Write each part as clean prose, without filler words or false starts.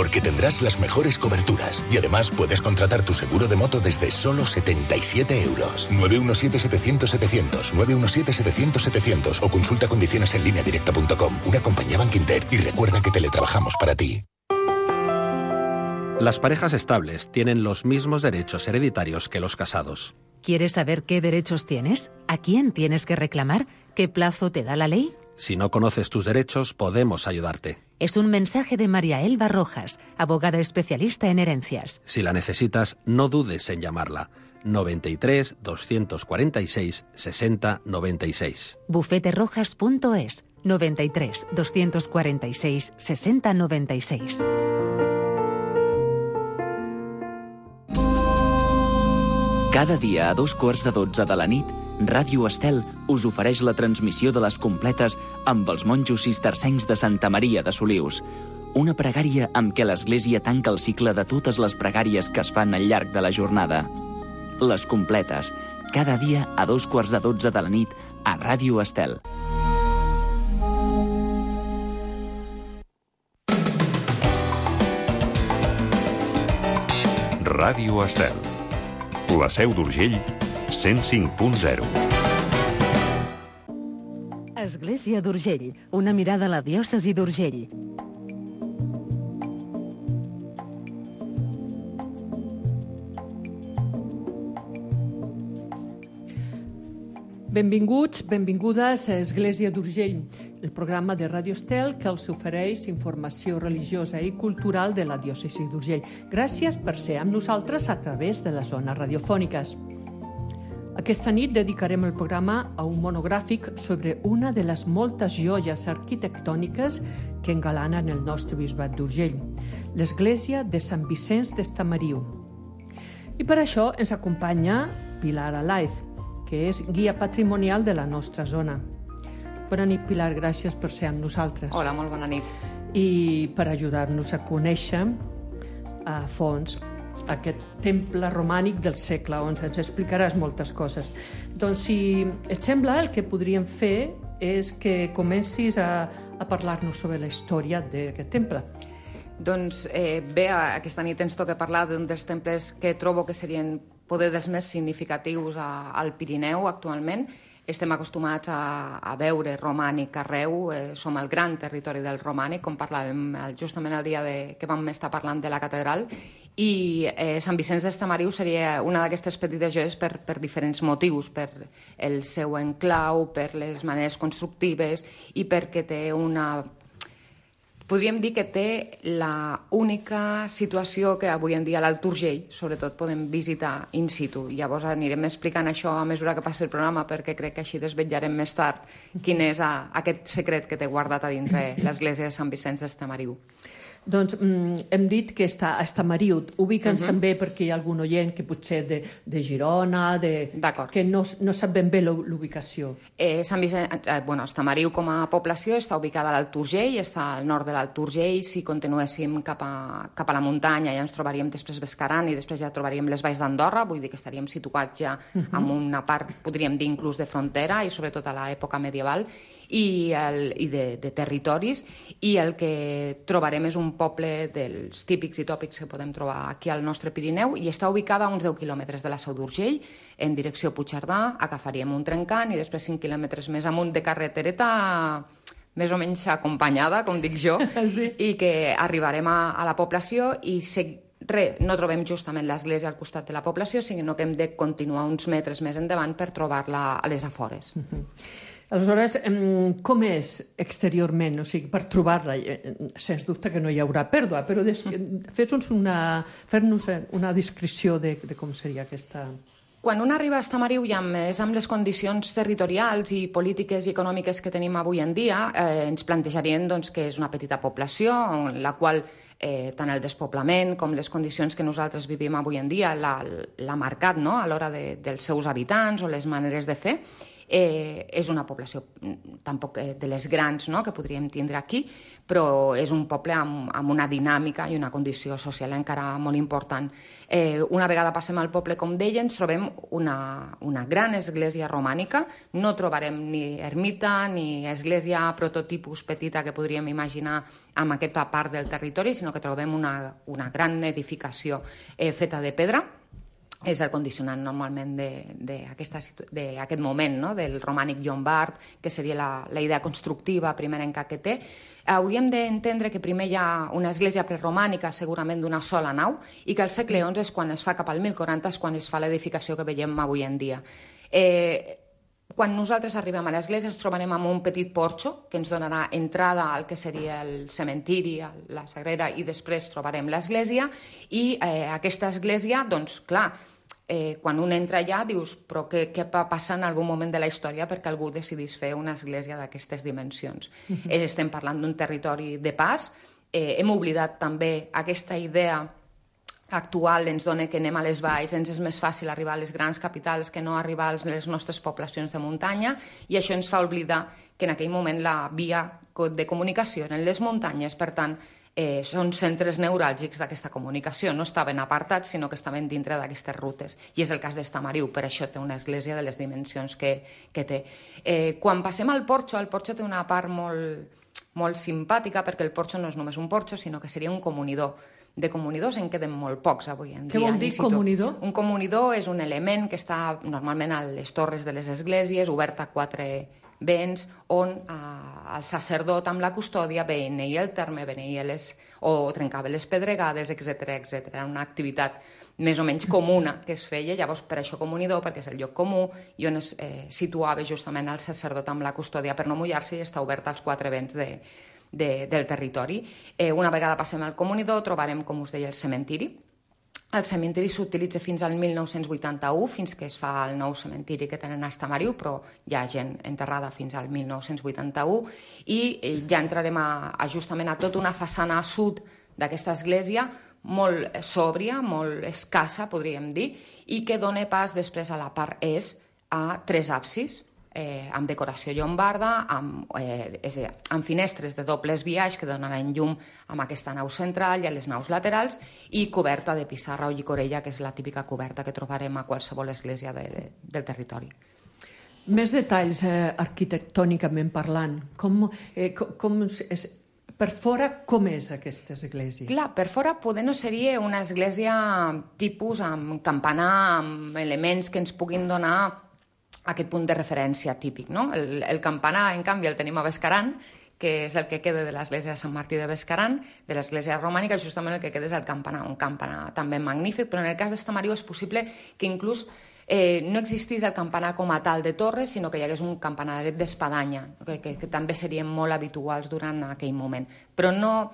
porque tendrás las mejores coberturas y además puedes contratar tu seguro de moto desde solo 77 euros. 917-700-700, 917-700-700 o consulta condiciones en lineadirecta.com. Una compañía Bankinter y recuerda que teletrabajamos para ti. Las parejas estables tienen los mismos derechos hereditarios que los casados. ¿Quieres saber qué derechos tienes? ¿A quién tienes que reclamar? ¿Qué plazo te da la ley? Si no conoces tus derechos, podemos ayudarte. Es un mensaje de María Elba Rojas, abogada especialista en herencias. Si la necesitas, no dudes en llamarla. 93 246 60 96. Bufeterojas.es 93 246 60 96. Cada dia a 2:15 de la nit, Ràdio Estel us ofereix la transmissió de les completes amb els monjos cistercencs de Santa Maria de Solius. Una pregària amb què l'Església tanca el cicle de totes les pregàries que es fan al llarg de la jornada. Les completes, cada dia a 2:15 de la nit a Ràdio Estel. Ràdio Estel. La Seu d'Urgell, 105.0. Església d'Urgell, una mirada a la diòcesi d'Urgell. Benvinguts, benvingudes a Església d'Urgell, el programa de Ràdio Estel que els ofereix informació religiosa i cultural de la diòcesi d'Urgell. Gràcies per ser amb nosaltres a través de les zones radiofòniques. Aquesta nit dedicarem el programa a un monogràfic sobre una de les moltes joies arquitectòniques que engalanen el nostre bisbat d'Urgell, l'església de Sant Vicenç d'Estamariu. I per això ens acompanya Pilar Alaiz, que és guia patrimonial de la nostra zona. Bona nit, Pilar, gràcies per ser amb nosaltres. Hola, molt bona nit. I per ajudar-nos a conèixer a fons aquest temple romànic del segle XI. Ens explicaràs moltes coses. Doncs, si et sembla, el que podríem fer és que comencis a parlar-nos sobre la història d'aquest temple. Doncs bé, aquesta nit ens toca parlar d'un dels temples que trobo que serien poder dels més significatius al Pirineu actualment. Estem acostumats a veure romànic arreu, som el gran territori del romànic, com parlàvem justament el dia que vam estar parlant de la catedral, i Sant Vicenç d'Estamariu seria una d'aquestes petites joies per diferents motius, per el seu enclau, per les maneres constructives i perquè té una... Podríem dir que té la única situació que avui en dia a l'Alt Urgell, sobretot, podem visitar in situ. Llavors anirem explicant això a mesura que passi el programa, perquè crec que així desvetllarem més tard quin és aquest secret que té guardat a dintre l'església de Sant Vicenç d'Estamariu. Doncs hem dit que està a Estamariu. Ubica'ns també perquè hi ha algun oient que potser de Girona, que no sap ben bé l'ubicació. Estamariu com a població està ubicada a l'Alt Urgell, està al nord de l'Alt Urgell. Si continuéssim cap a la muntanya ja ens trobaríem després Bescaran i després ja trobaríem les valls d'Andorra, vull dir que estaríem situats ja en una part, podríem dir inclús de frontera i sobretot a l'època medieval i de territoris, i el que trobarem és un poble dels típics i tòpics que podem trobar aquí al nostre Pirineu, i està ubicada a uns 10 quilòmetres de la Seu d'Urgell, en direcció Puigcerdà. Agafaríem un trencant i després 5 quilòmetres més amunt de carretereta més o menys acompanyada, com dic jo, i que arribarem a la població i no trobem justament l'església al costat de la població, sinó que hem de continuar uns metres més endavant per trobar-la a les afores. Aleshores, com és exteriorment? O sigui, per trobar-la, sens dubte que no hi haurà pèrdua, però fes-nos una descripció de com seria aquesta... Quan un arriba a Estamariu, ja més amb les condicions territorials i polítiques i econòmiques que tenim avui en dia, ens plantejarien que és una petita població en la qual tant el despoblament com les condicions que nosaltres vivim avui en dia l'ha marcat a l'hora dels seus habitants o les maneres de fer. És una població tampoc de les grans, no?, que podríem tindre aquí, però és un poble amb una dinàmica i una condició social encara molt important. Una vegada passem al poble, com deia, ens trobem una gran església romànica. No trobarem ni ermita ni església prototipus petita que podríem imaginar en aquesta part del territori, sinó que trobem una gran edificació feta de pedra. És el condicionant normalment d'aquest moment, no?, del romànic llombard, que seria la idea constructiva primerenca que té. Hauríem d'entendre que primer hi ha una església preromànica, segurament d'una sola nau, i que al segle XI és quan es fa, cap al 1040, és quan es fa l'edificació que veiem avui en dia. Quan nosaltres arribem a l'església ens trobarem amb un petit porxo que ens donarà entrada al que seria el cementiri, la sagrera, i després trobarem l'església. I aquesta església, doncs, clar, quan un entra allà dius, però què va passar en algun moment de la història perquè algú decidís fer una església d'aquestes dimensions? Estem parlant d'un territori de pas. Hem oblidat també aquesta idea actual, ens dona que anem a les valls, ens és més fàcil arribar a les grans capitals que no arribar a les nostres poblacions de muntanya, i això ens fa oblidar que en aquell moment la via de comunicació eren les muntanyes. Per tant, són centres neuràlgics d'aquesta comunicació. No estaven apartats, sinó que estaven dintre d'aquestes rutes. I és el cas d'Estamariu, per això té una església de les dimensions que té. Quan passem al porxo, el porxo té una part molt simpàtica, perquè el porxo no és només un porxo, sinó que seria un comunidor. De comunidors en queden molt pocs avui en dia. Què vol dir comunidor? Un comunidor és un element que està normalment a les torres de les esglésies, obert a 4 vents, on el sacerdot amb la custòdia beneïa el terme, o trencava les pedregades, etc. Era una activitat més o menys comuna que es feia, llavors per això comunidor, perquè és el lloc comú i on es situava justament el sacerdot amb la custòdia per no mullar-se i està obert als 4 vents del territori. Una vegada passem al comunidor trobarem, com us deia, el cementiri. El cementiri s'utilitza fins al 1981, fins que es fa el nou cementiri que tenen a Estamariu, però hi ha gent enterrada fins al 1981, i ja entrarem justament a tota una façana a sud d'aquesta església, molt sòbria, molt escassa, podríem dir, i que dona pas després a la part est a 3 absis, amb decoració llombarda, amb finestres de dobles biaix que donaran llum amb aquesta nau central i a les naus laterals, i coberta de pissarra o llicorella, que és la típica coberta que trobarem a qualsevol església del territori. Més detalls arquitectònicament parlant. Per fora, com és aquesta església? Clar, per fora poder no seria una església tipus amb campanar, amb elements que ens puguin donar aquest punt de referència típic, no? El campanar, en canvi, el tenim a Bescaran, que és el que queda de l'església de Sant Martí de Bescaran, de l'església romànica, justament el que queda és el campanar, un campanar també magnífic, però en el cas d'Estamariu és possible que inclús no existís el campanar com a tal de torre, sinó que hi hagués un campanaret d'espadanya, que també serien molt habituals durant aquell moment. Però no...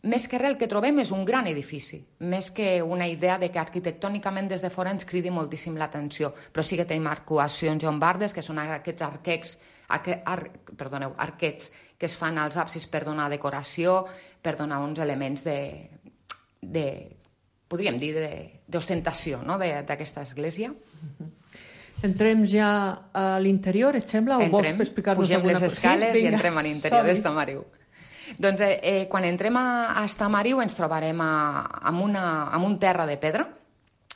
Més que res, el que trobem és un gran edifici, més que una idea de que arquitectònicament des de fora ens cridi moltíssim l'atenció, però sí que tenim arcuacions llombardes, que són aquests arquets que es fan als absis per donar decoració, per donar uns elements podríem dir, d'ostentació, no?, d'aquesta església. Entrem ja a l'interior, et sembla? O vols explicar-nos alguna cosa? Pugem les escales i entrem a l'interior d'Estamariu. Doncs quan entrem a Estamariu ens trobarem amb un terra de pedra.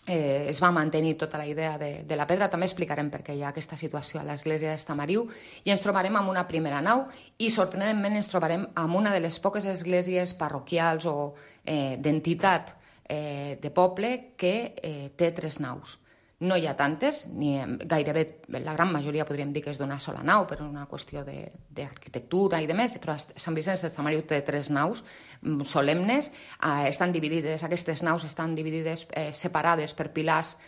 Es va mantenir tota la idea de la pedra. També explicarem per què hi ha aquesta situació a l'església d'Estamariu. I ens trobarem amb una primera nau i, sorprenentment, ens trobarem amb una de les poques esglésies parroquials o d'entitat de poble que té 3 naus. No hi ha tantes, gairebé la gran majoria podríem dir que és d'una sola nau per una qüestió d'arquitectura i de més, però Sant Vicenç d'Estamariu té 3 naus solemnes, estan dividides, aquestes naus estan dividides, separades per pilars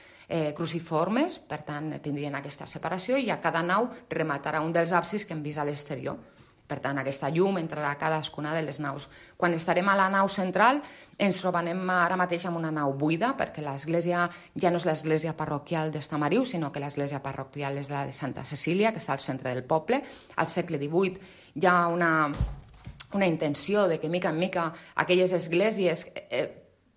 cruciformes, per tant tindrien aquesta separació, i a cada nau rematarà un dels absis que hem vist a l'exterior. Per tant, aquesta llum entrarà a cadascuna de les naus. Quan estarem a la nau central ens trobarem ara mateix amb una nau buida, perquè l'església ja no és l'església parroquial d'Estamariu, sinó que l'església parroquial és la de Santa Cecília, que està al centre del poble. Al segle XVIII hi ha una intenció de que, mica en mica, aquelles esglésies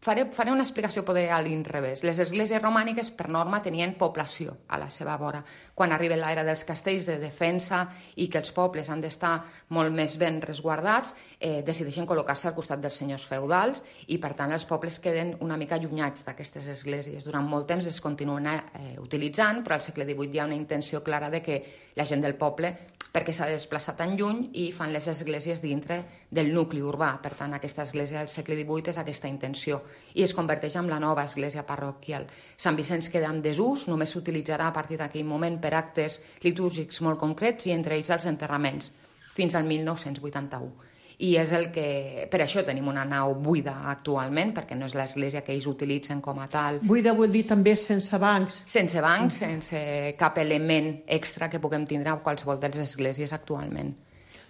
Faré una explicació poder a l'inrevés. Les esglésies romàniques, per norma, tenien població a la seva vora. Quan arriba l'era dels castells de defensa i que els pobles han d'estar molt més ben resguardats, decideixen col·locar-se al costat dels senyors feudals i, per tant, els pobles queden una mica allunyats d'aquestes esglésies. Durant molt temps es continuen utilitzant, però al segle XVIII hi ha una intenció clara de que la gent del poble, perquè s'ha de desplaçar tan lluny, i fan les esglésies dintre del nucli urbà. Per tant, aquesta església del segle XVIII és aquesta intenció i es converteix en la nova església parroquial. Sant Vicenç queda en desús, només s'utilitzarà a partir d'aquell moment per actes litúrgics molt concrets i entre ells els enterraments, fins al 1981. I és el que... Per això tenim una nau buida actualment, perquè no és l'església que ells utilitzen com a tal. Buida vol dir també sense bancs. Sense bancs, sense cap element extra que puguem tindre a qualsevol de les esglésies actualment.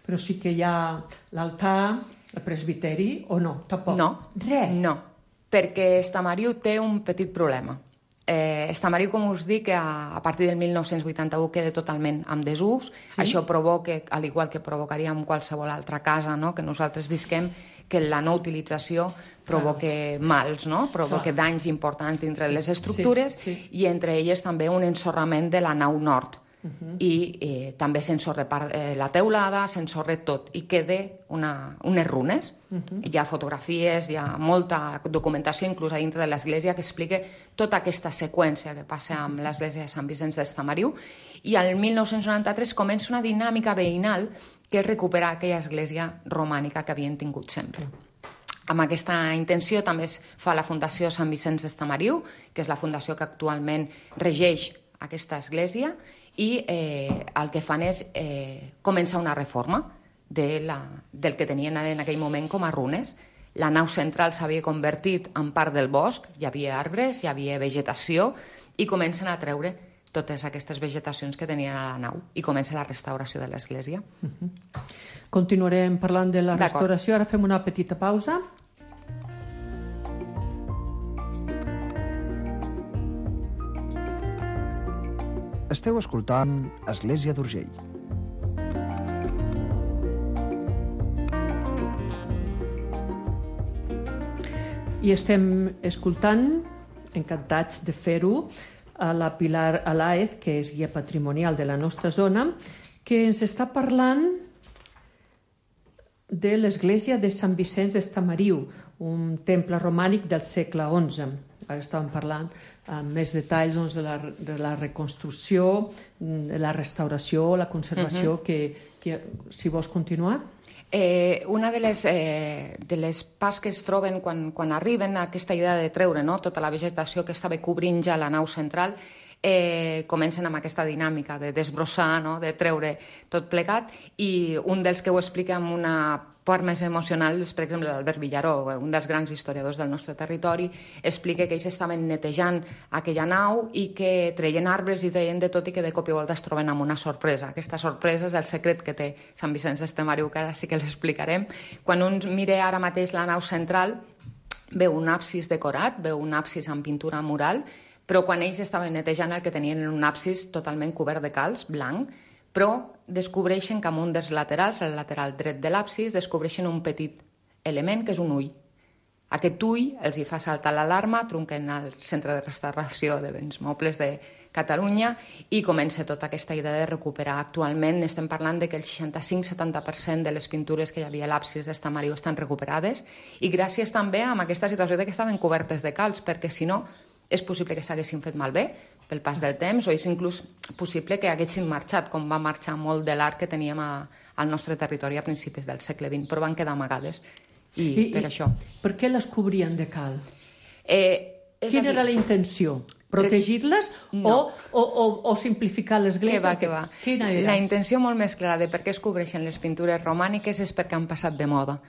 Però sí que hi ha l'altar, el presbiteri, o no? Tampoc? No. Res? No, perquè Estamariu té un petit problema. Estamariu, com us dic, a partir del 1981 queda totalment en desús. Sí. Això provoca, al igual que provocaria en qualsevol altra casa, no?, que nosaltres visquem, que la no utilització provoca mals, no?, provoca danys importants dintre les estructures, i entre elles també un ensorrament de la nau nord. I també s'ensorra la teulada, s'ensorra tot, i queda unes runes. Hi ha fotografies, hi ha molta documentació, inclús a dintre de l'església, que explica tota aquesta seqüència que passa amb l'església de Sant Vicenç d'Estamariu, i al 1993 comença una dinàmica veïnal que és recuperar aquella església romànica que havien tingut sempre. Amb aquesta intenció també es fa la Fundació Sant Vicenç d'Estamariu, que és la fundació que actualment regeix aquesta església, i el que fan és començar una reforma del que tenien en aquell moment com a runes. La nau central s'havia convertit en part del bosc, hi havia arbres, hi havia vegetació, i comencen a treure totes aquestes vegetacions que tenien a la nau, i comença la restauració de l'església. Continuarem parlant de la restauració, ara fem una petita pausa. Esteu escoltant Església d'Urgell. I estem escoltant, encantats de fer-ho, a la Pilar Alaez, que és guia patrimonial de la nostra zona, que ens està parlant de l'església de Sant Vicenç d'Estamariu, un temple romànic del segle XI. Ara estàvem parlant amb més detalls de la reconstrucció, de la restauració, la conservació, que si vols continuar. Una de les parts que es troben quan arriben a aquesta idea de treure tota la vegetació que estava cobrint ja la nau central, comencen amb aquesta dinàmica de desbrossar, de treure tot plegat, i un dels que ho explica amb una part més emocional és, per exemple, l'Albert Villaró, un dels grans historiadors del nostre territori, explica que ells estaven netejant aquella nau i que treien arbres i treien de tot, i que de cop i volta es troben amb una sorpresa. Aquesta sorpresa és el secret que té Sant Vicenç d'Estamariu, que ara sí que l'explicarem. Quan un mira ara mateix la nau central, veu un absis decorat, veu un absis amb pintura mural, però quan ells estaven netejant el que tenien era un absis totalment cobert de calç, blanc, però descobreixen que en un dels laterals, el lateral dret de l'absis, descobreixen un petit element que és un ull. Aquest ull els hi fa saltar l'alarma, trunquen al Centre de Restauració de Béns Mobles de Catalunya i comença tota aquesta idea de recuperar. Actualment estem parlant de que el 65-70% de les pintures que hi havia a l'absis d'Estamariu estan recuperades, i gràcies també a aquesta situació de que estaven cobertes de calç, perquè si no és possible que s'haguessin fet malbé pel pas del temps, o és inclús possible que haguessin marxat, com va marxar molt de l'art que teníem al nostre territori a principis del segle XX, però van quedar amagades, i per això. Per què les cobrien de cal? Quina era la intenció? Protegir-les o simplificar l'església? Què va. La intenció molt més clara de per què es cobreixen les pintures romàniques és perquè han passat de moda.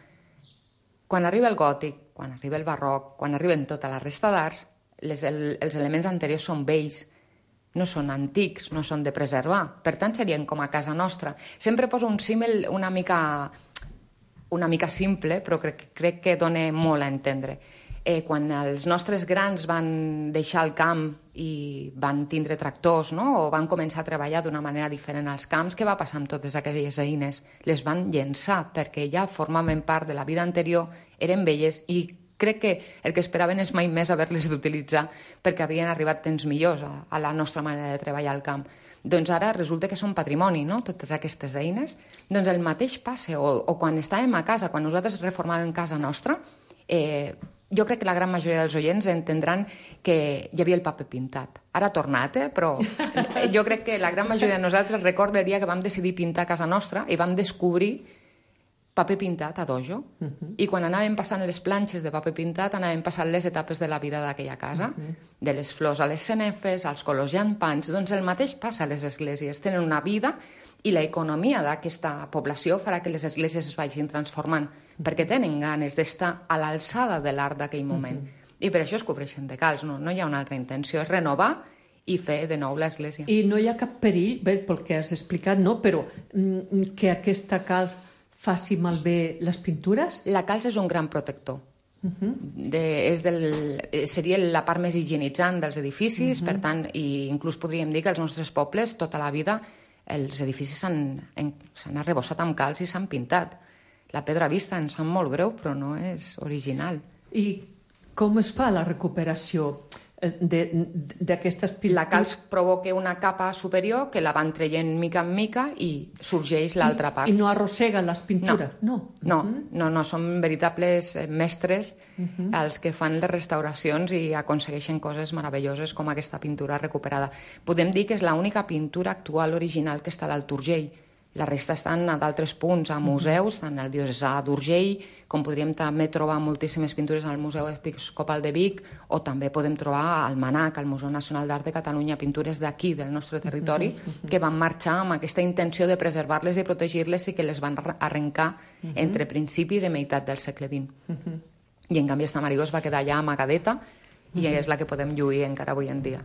Quan arriba el gòtic, quan arriba el barroc, quan arriben tota la resta d'arts, els elements anteriors són vells, no són antics, no són de preservar. Per tant, serien com a casa nostra. Sempre poso un símil una mica simple, però crec que dona molt a entendre. Quan els nostres grans van deixar el camp i van tindre tractors, o van començar a treballar d'una manera diferent als camps, què va passar amb totes aquelles eines? Les van llençar perquè ja formaven part de la vida anterior, eren velles i crec que el que esperaven és mai més haver-les d'utilitzar perquè havien arribat temps millors a la nostra manera de treballar al camp. Doncs ara resulta que són patrimoni, no?, totes aquestes eines. Doncs el mateix passa, o quan estàvem a casa, quan nosaltres reformàvem casa nostra, jo crec que la gran majoria dels oients entendran que hi havia el paper pintat. Ara ha tornat, però jo crec que la gran majoria de nosaltres recorda el dia que vam decidir pintar casa nostra i vam descobrir paper pintat a dojo. I quan anàvem passant les planxes de paper pintat, anàvem passant les etapes de la vida d'aquella casa, de les flors a les cenefes, als colors llampants. Doncs el mateix passa a les esglésies. Tenen una vida i l'economia d'aquesta població farà que les esglésies es vagin transformant, perquè tenen ganes d'estar a l'alçada de l'art d'aquell moment. I per això es cobreixen de calç, no hi ha una altra intenció, és renovar i fer de nou l'església. I no hi ha cap perill, bé, pel que has explicat, no? Però que aquesta calç faci malbé les pintures? La calç és un gran protector. Seria la part més higienitzant dels edificis, per tant, i inclús podríem dir que als nostres pobles tota la vida els edificis s'han arrebossat amb calç i s'han pintat. La pedra vista ens sap molt greu, però no és original. I com es fa la recuperació d'aquestes pintures? La calç provoca una capa superior que la van traient mica en mica i sorgeix l'altra part. I no arrosseguen les pintures? No, són veritables mestres els que fan les restauracions i aconsegueixen coses meravelloses com aquesta pintura recuperada. Podem dir que és l'única pintura actual original que està a l'Alt Urgell. La resta estan a d'altres punts, a museus, tant al Diocesà d'Urgell, com podríem també trobar moltíssimes pintures al Museu Episcopal de Vic, o també podem trobar al MNAC, al Museu Nacional d'Art de Catalunya, pintures d'aquí, del nostre territori, que van marxar amb aquesta intenció de preservar-les i protegir-les i que les van arrencar entre principis i meitat del segle XX. I en canvi Estamariu es va quedar allà amagadeta i és la que podem lluir encara avui en dia.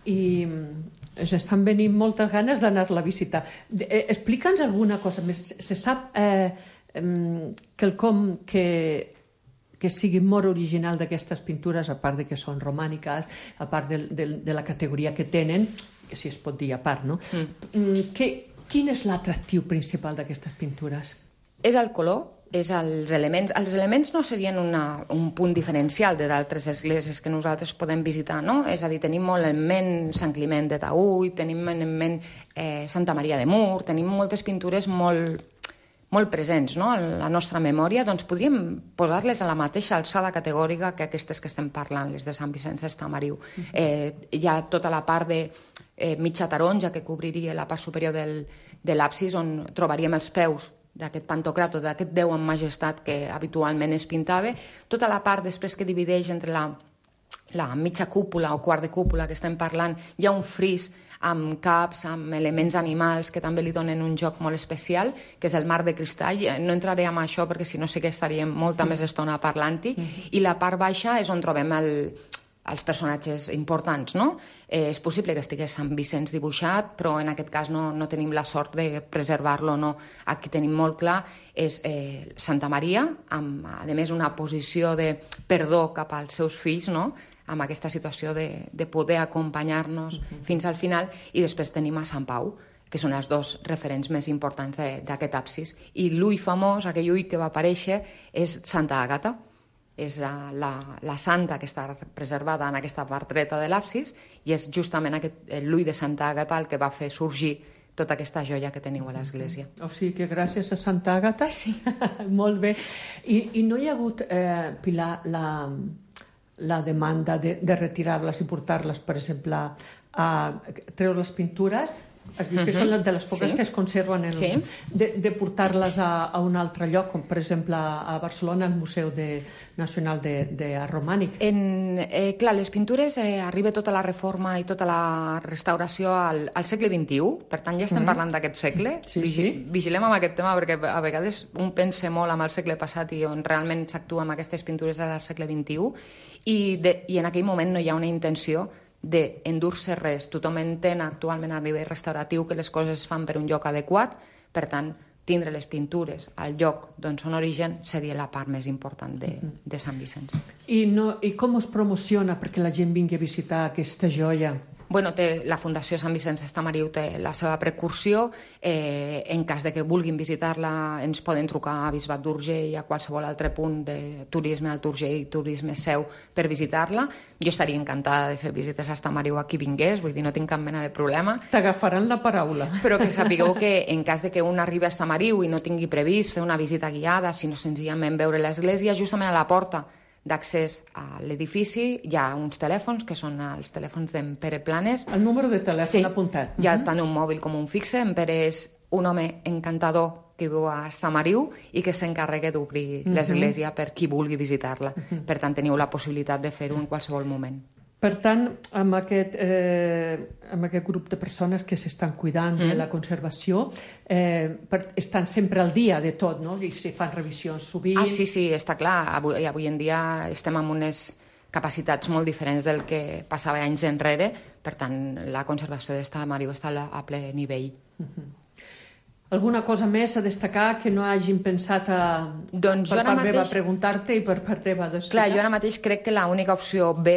I estan venint moltes ganes d'anar-la a visitar. Explica'ns alguna cosa més. Se sap quelcom que sigui molt original d'aquestes pintures, a part de que són romàniques, a part de la categoria que tenen, que si es pot dir a part, no? Quin és l'atractiu principal d'aquestes pintures? És el color, és els elements. Els elements no serien un punt diferencial d'altres esglésies que nosaltres podem visitar, no? És a dir, tenim molt en ment Sant Climent de Taüll, tenim en ment Santa Maria de Mur, tenim moltes pintures molt presents, no?, a la nostra memòria. Doncs podríem posar-les a la mateixa alçada categòrica que aquestes que estem parlant, les de Sant Vicenç d'Estamariu. Hi ha tota la part de mitja taronja que cobriria la part superior de l'absis, on trobaríem els peus d'aquest Pantocràtor, d'aquest Déu en majestat que habitualment es pintava. Tota la part després que divideix entre la mitja cúpula o quart de cúpula que estem parlant, hi ha un fris amb caps, amb elements animals que també li donen un joc molt especial, que és el mar de cristall. No entraré en això perquè si no sí que estaríem molta més estona parlant-hi. I la part baixa és on trobem els personatges importants, no? És possible que estigués Sant Vicenç dibuixat, però en aquest cas no tenim la sort de preservar-lo, no. Aquí tenim molt clar, és Santa Maria, amb, a més, una posició de perdó cap als seus fills, no?, amb aquesta situació de poder acompanyar-nos fins al final, i després tenim a Sant Pau, que són els dos referents més importants d'aquest absis. I l'ull famós, aquell ull que va aparèixer, és Santa Àgata. És la santa que està preservada en aquesta part dreta de l'absis, i és justament l'ull de Santa Àgata el que va fer sorgir tota aquesta joia que teniu a l'església. O sigui que gràcies a Santa Àgata, sí. Molt bé. I no hi ha hagut, Pilar, la demanda de retirar-les i portar-les, per exemple, a treure les pintures, que són de les poques que es conserven, de portar-les a un altre lloc, com per exemple a Barcelona, al Museu Nacional d'Art Romànic. Clar, les pintures arriba tota la reforma i tota la restauració al segle XXI, per tant ja estem parlant d'aquest segle. Vigilem amb aquest tema perquè a vegades un pensa molt amb el segle passat i on realment s'actua amb aquestes pintures al segle XXI, i en aquell moment no hi ha una intenció d'endur-se res. Tothom entén actualment a nivell restauratiu que les coses es fan per un lloc adequat, per tant, tindre les pintures al lloc d'on són origen seria la part més important de Sant Vicenç. I com es promociona perquè la gent vingui a visitar aquesta joia? Bueno, la Fundació Sant Vicenç d'Estamariu té la seva precursió. En cas de que vulguin visitar-la, ens poden trucar a Bisbat d'Urgell, a qualsevol altre punt de turisme al Urgell, turisme seu, per visitar-la. Jo estaria encantada de fer visites a Estamariu a qui vingués, vull dir, no tinc cap mena de problema. T'agafaran la paraula. Però que sapigueu que en cas de que un arribi a Estamariu i no tingui previst fer una visita guiada, sinó senzillament veure l'església, justament a la porta d'accés a l'edifici hi ha uns telèfons, que són els telèfons d'en Pere Planes. El número de telèfon apuntat. Hi ha tant un mòbil com un fixe. En Pere és un home encantador que viu a Estamariu i que s'encarrega d'obrir l'església per qui vulgui visitar-la. Per tant, teniu la possibilitat de fer-ho en qualsevol moment. Per tant, amb aquest grup de persones que s'estan cuidant de la conservació, estan sempre al dia de tot, no? I si fan revisions sovint... Sí, està clar. Avui en dia estem amb unes capacitats molt diferents del que passava anys enrere. Per tant, la conservació d'Estamariu està a ple nivell. Alguna cosa més a destacar que no hagin pensat per part meva preguntar-te i per part teva d'explicar? Clar, jo ara mateix crec que l'única opció B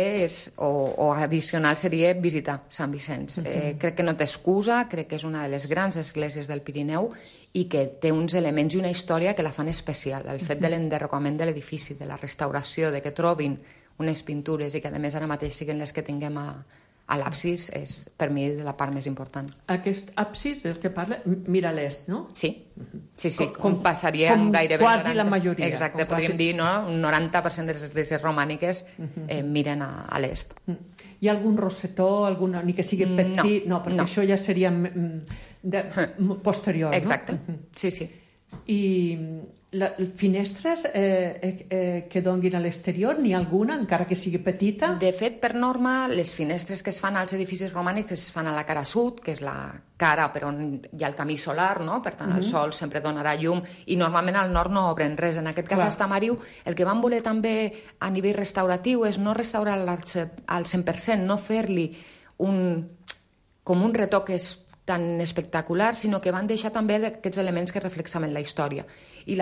o addicional seria visitar Sant Vicenç. Crec que no té excusa, crec que és una de les grans esglésies del Pirineu i que té uns elements i una història que la fan especial. El fet de l'enderrocament de l'edifici, de la restauració, de que trobin unes pintures i que a més ara mateix siguin les que tinguem a l'absis, és per mi la part més important. Aquest absis del que parla mira a l'est, no? Sí. Com passaria gairebé... Quasi la majoria. Exacte, podríem dir, no? Un 90% de les esglésies romàniques miren a l'est. Hi ha algun rosetó, ni que sigui petit? No, perquè això ja seria posterior, no? Exacte, sí. I finestres que donguin a l'exterior, n'hi ha alguna, encara que sigui petita? De fet, per norma, les finestres que es fan als edificis romànics es fan a la cara sud, que és la cara per on hi ha el camí solar, no? Per tant, el sol sempre donarà llum i normalment al nord no obren res. En aquest cas, a Estamariu, el que van voler també a nivell restauratiu és no restaurar al 100%, no fer-li com un retoc tan espectacular, sinó que van deixar també aquests elements que reflexaven la història. I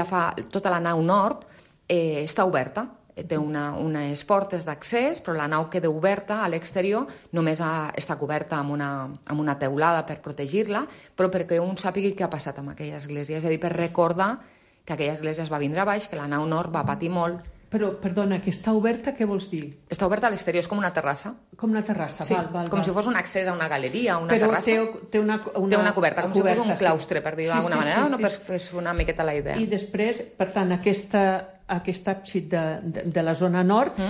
tota la nau nord està oberta, té unes portes d'accés, però la nau queda oberta a l'exterior, només està coberta amb una teulada per protegir-la, però perquè un sàpigui què ha passat amb aquella església, és a dir, per recordar que aquella església es va vindre a baix, que la nau nord va patir molt. Però, perdona, que està oberta, què vols dir? Està oberta a l'exterior, és com una terrassa. Com una terrassa, sí, com si fos un accés a una galeria, una terrassa. Però té una coberta, com si fos un claustre, per dir-ho d'alguna manera, no? Per fer una miqueta la idea. I després, per tant, aquest àpsid de la zona nord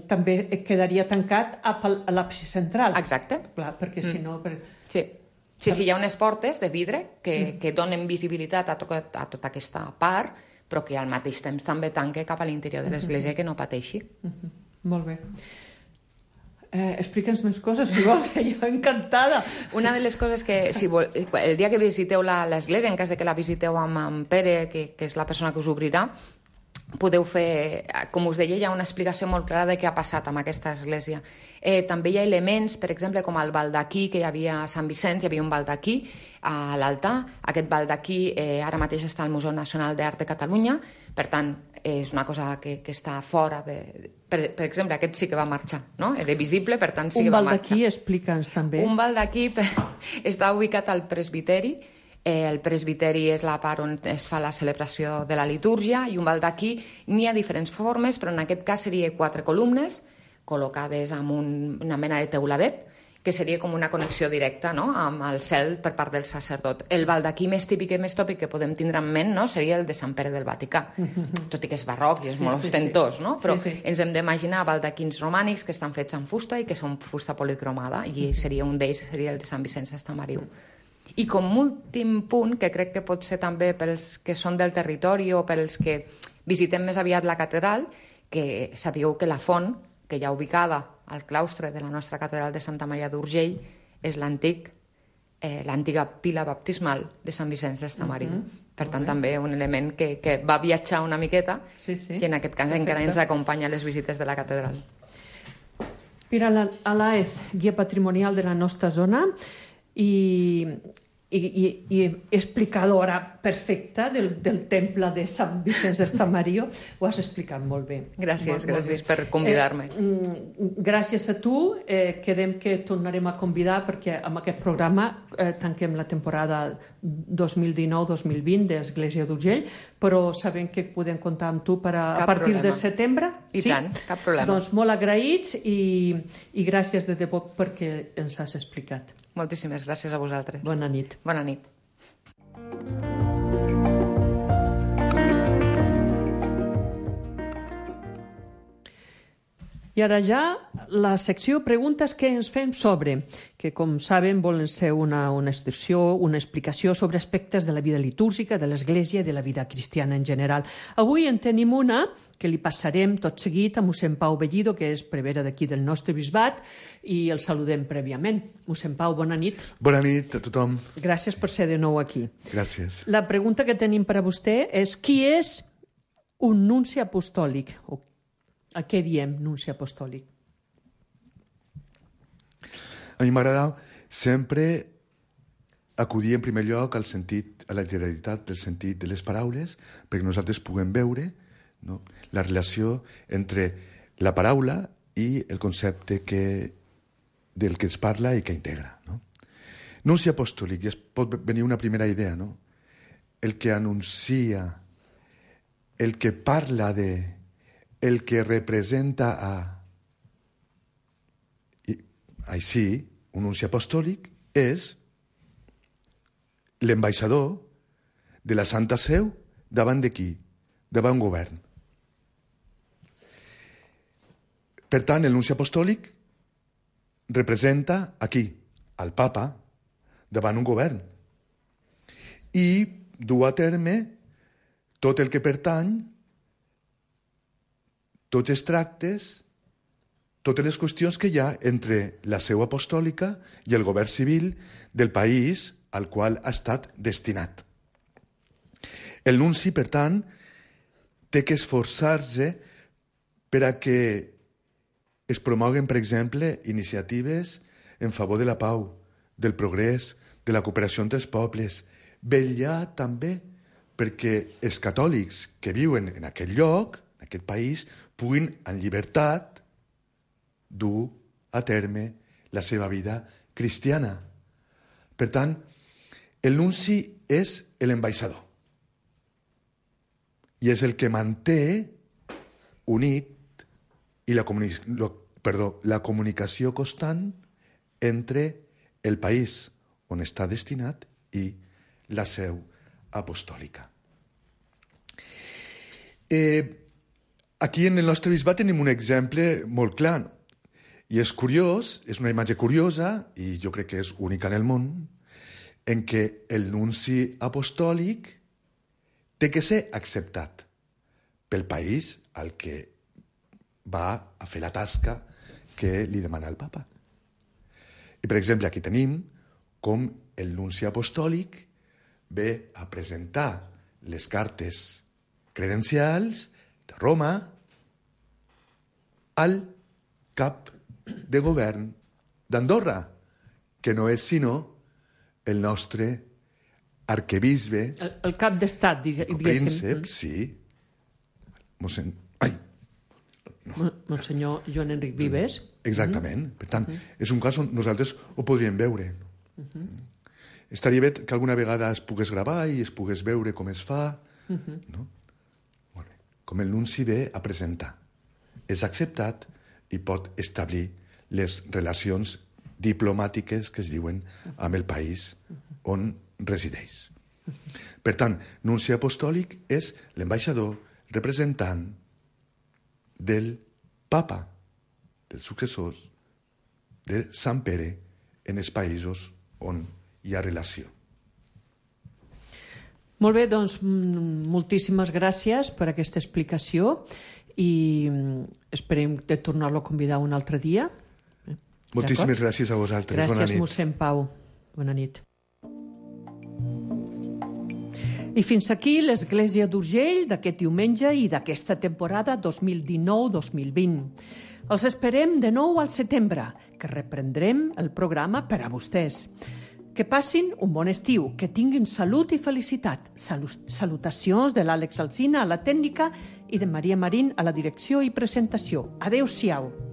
també quedaria tancat a l'àpsid central. Exacte. Clar, perquè si no... Sí, hi ha unes portes de vidre que donen visibilitat a tota aquesta part, però que al mateix temps també tanque cap a l'interior de l'església que no pateixi. Molt bé. Explica'ns més coses, si vols, que jo encantada. Una de les coses que, el dia que visiteu l'església, en cas de que la visiteu amb en Pere, que és la persona que us obrirà, podeu fer, com us deia, hi ha una explicació molt clara de què ha passat amb aquesta església. També hi ha elements, per exemple, com el baldaquí que hi havia a Sant Vicenç, hi havia un baldaquí a l'altar. Aquest baldaquí ara mateix està al Museu Nacional d'Art de Catalunya, per tant, és una cosa que està fora de... Per exemple, aquest sí que va marxar, no? Era visible, per tant sí que va marxar. Un baldaquí, explica'ns també. Un baldaquí està ubicat al presbiteri. El presbiteri és la part on es fa la celebració de la litúrgia i un baldaquí n'hi ha diferents formes, però en aquest cas seria 4 columnes col·locades amb una mena de teuladet, que seria com una connexió directa, no?, amb el cel per part del sacerdot. El baldaquí més típic i més tòpic que podem tindre en ment, no?, seria el de Sant Pere del Vaticà, tot i que és barroc i és molt ostentós, no? Però ens hem d'imaginar baldaquins romànics que estan fets en fusta i que són fusta policromada, i seria un d'ells, seria el de Sant Vicenç d'Estamariu. I com últim punt, que crec que pot ser també pels que són del territori o pels que visitem més aviat la catedral, que sapigueu que la font, que hi ha ubicada al claustre de la nostra catedral de Santa Maria d'Urgell, és l'antiga pila baptismal de Sant Vicenç d'Estamariu. Per tant, també un element que va viatjar una miqueta i en aquest cas encara ens acompanya a les visites de la catedral. Mira, a l'AEZ, guia patrimonial de la nostra zona, i i explicadora perfecta del temple de Sant Vicenç d'Estamario. Ho has explicat molt bé. Gràcies per convidar-me. Gràcies a tu. Quedem que tornarem a convidar perquè amb aquest programa tanquem la temporada 2019-2020 d'Església d'Urgell, però sabem que podem comptar amb tu a partir de setembre. I tant, cap problema. Doncs molt agraïts i gràcies de debò perquè ens has explicat. Moltíssimes gràcies a vosaltres. Bona nit. Bona nit. I ara ja la secció preguntes que ens fem sobre, que com saben volen ser una explicació sobre aspectes de la vida litúrgica, de l'Església i de la vida cristiana en general. Avui en tenim una que li passarem tot seguit a mossèn Pau Bellido, que és prevere d'aquí del nostre bisbat, i el saludem prèviament. Mossèn Pau, bona nit. Bona nit a tothom. Gràcies per ser de nou aquí. Gràcies. La pregunta que tenim per a vostè és qui és un nunci apostòlic? A què diem nunci apostòlic? A mi m'agrada sempre acudir en primer lloc al sentit, a la literalitat del sentit de les paraules, perquè nosaltres puguem veure, no, la relació entre la paraula i el concepte del que es parla i que integra. No? Nunci apostòlic, i es pot venir una primera idea, no? El que anuncia, el que parla de, el que representa a... Així, un nunci apostòlic és l'ambaixador de la Santa Seu davant de qui? Davant un govern. Per tant, el nunci apostòlic representa aquí, al papa, davant un govern. I du a terme tot el que pertany, tots els tractes, totes les qüestions que hi ha entre la seu apostòlica i el govern civil del país al qual ha estat destinat. El nunci, per tant, té que esforçar-se per a que es promoguen, per exemple, iniciatives en favor de la pau, del progrés, de la cooperació entre els pobles. Vetllar també perquè els catòlics que viuen en aquell lloc, en aquest país, puguin en llibertat dur a terme la seva vida cristiana. Per tant, el nunci és l'ambaixador i és el que manté unit i la comunicació constant entre el país on està destinat i la seu apostòlica. Aquí en el nostre bisbat tenim un exemple molt clar. I és curiós, és una imatge curiosa, i jo crec que és única en el món, en què el nunci apostòlic té que ser acceptat pel país al que va a fer la tasca que li demana el papa. I, per exemple, aquí tenim com el nunci apostòlic ve a presentar les cartes credencials de Roma al cap de govern d'Andorra, que no és sinó el nostre arquebisbe... El cap d'estat, diguéssim. Príncep, sí. Monsenyor Joan Enric Vives. Exactament. Per tant, és un cas on nosaltres ho podríem veure. Estaria bé que alguna vegada es pogués gravar i es pogués veure com es fa. No? Com el nunci ve a presentar. És acceptat i pot establir les relacions diplomàtiques que es diuen amb el país on resideix. Per tant, nunci apostòlic és l'ambaixador representant del papa, dels successors de Sant Pere en els països on hi ha relació. Molt bé, doncs moltíssimes gràcies per aquesta explicació i esperem de tornar-lo a convidar un altre dia. Moltíssimes gràcies a vosaltres. Gràcies, bona nit. mossèn Pau. Bona nit. I fins aquí l'Església d'Urgell d'aquest diumenge i d'aquesta temporada 2019-2020. Els esperem de nou al setembre, que reprendrem el programa per a vostès. Que passin un bon estiu, que tinguin salut i felicitat. Salutacions de l'Àlex Alsina a la tècnica i de Maria Marín a la direcció i presentació. Adéu-siau.